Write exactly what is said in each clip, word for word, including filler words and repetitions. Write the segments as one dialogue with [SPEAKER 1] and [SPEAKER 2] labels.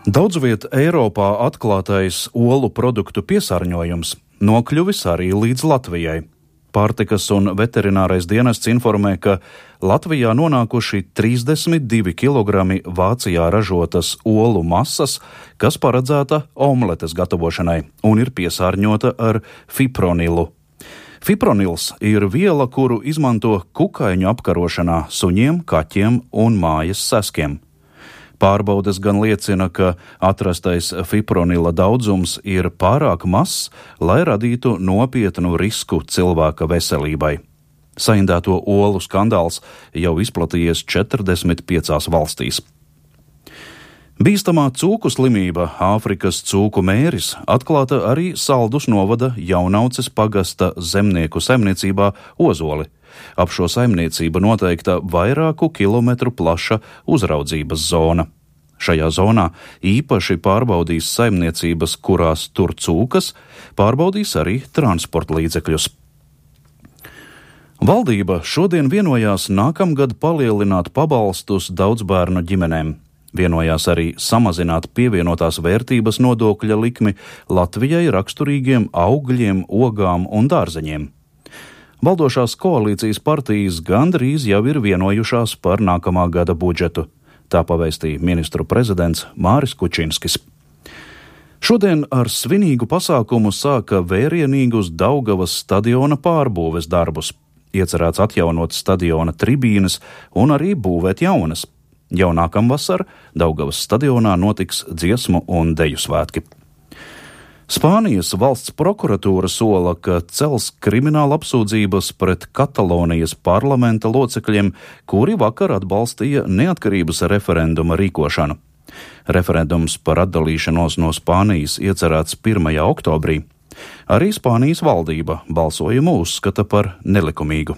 [SPEAKER 1] Daudzviet Eiropā atklātais olu produktu piesārņojums nokļuvis arī līdz Latvijai. Pārtikas un veterinārais dienests informē, ka Latvijā nonākuši trīsdesmit divi kilogrami Vācijā ražotas olu masas, kas paredzēta omletes gatavošanai un ir piesārņota ar fipronilu. Fipronils ir viela, kuru izmanto kukaiņu apkarošanā suņiem, kaķiem un mājas seskiem. Pārbaudes gan liecina, ka atrastais fipronila daudzums ir pārāk mazs, lai radītu nopietnu risku cilvēka veselībai. Saindēto olu skandāls jau izplatījies četrdesmit piecās valstīs. Bīstamā cūku slimība, Āfrikas cūku mēris, atklāta arī Saldus novada Jaunauces pagasta zemnieku saimniecībā Ozoli. Ap šo saimniecību noteikta vairāku kilometru plaša uzraudzības zona. Šajā zonā īpaši pārbaudīs saimniecības, kurās tur cūkas, pārbaudīs arī transporta līdzekļus. Valdība šodien vienojās nākamgad palielināt pabalstus daudzbērnu ģimenēm. Vienojās arī samazināt pievienotās vērtības nodokļa likmi Latvijai raksturīgiem augļiem, ogām un dārzeņiem. Valdošās koalīcijas partijas gandrīz jau ir vienojušās par nākamā gada budžetu. Tā pavēstīja ministru prezidents Māris Kučinskis. Šodien ar svinīgu pasākumu sāka vērienīgus Daugavas stadiona pārbūves darbus. Iecerēts atjaunot stadiona tribīnes un arī būvēt jaunas. Jau nākamvasar Daugavas stadionā notiks dziesmu un deju svētki. Spānijas valsts prokuratūra sola, ka cels krimināla apsūdzības pret Katalonijas parlamenta locekļiem, kuri vakar atbalstīja neatkarības referenduma rīkošanu. Referendums par atdalīšanos no Spānijas iecerēts pirmajā oktobrī. Arī Spānijas valdība balsojumu uzskata par nelikumīgu.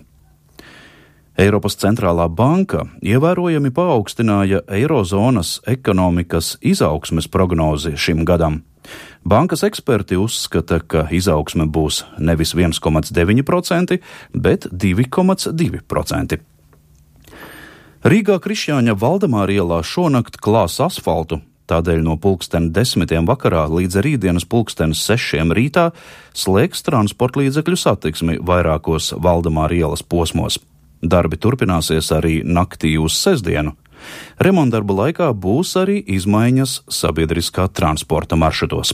[SPEAKER 1] Eiropas centrālā banka ievērojami paaugstināja eirozonas ekonomikas izaugsmes prognozi šim gadam. Bankas eksperti uzskata, ka izaugsme būs nevis viens komats deviņi procenti, bet divi komats divi procenti. Rīgā Krišjāņa Valdemāra ielā šonakt klās asfaltu, tādēļ no pulksten desmitiem vakarā līdz rītdienas pulksten sešiem rītā slēgs transportlīdzekļu satiksmi vairākos Valdemāra ielas posmos. Darbi turpināsies arī naktī uz sestdienu. Remontdarbu laikā būs arī izmaiņas sabiedriskā transporta maršrutos.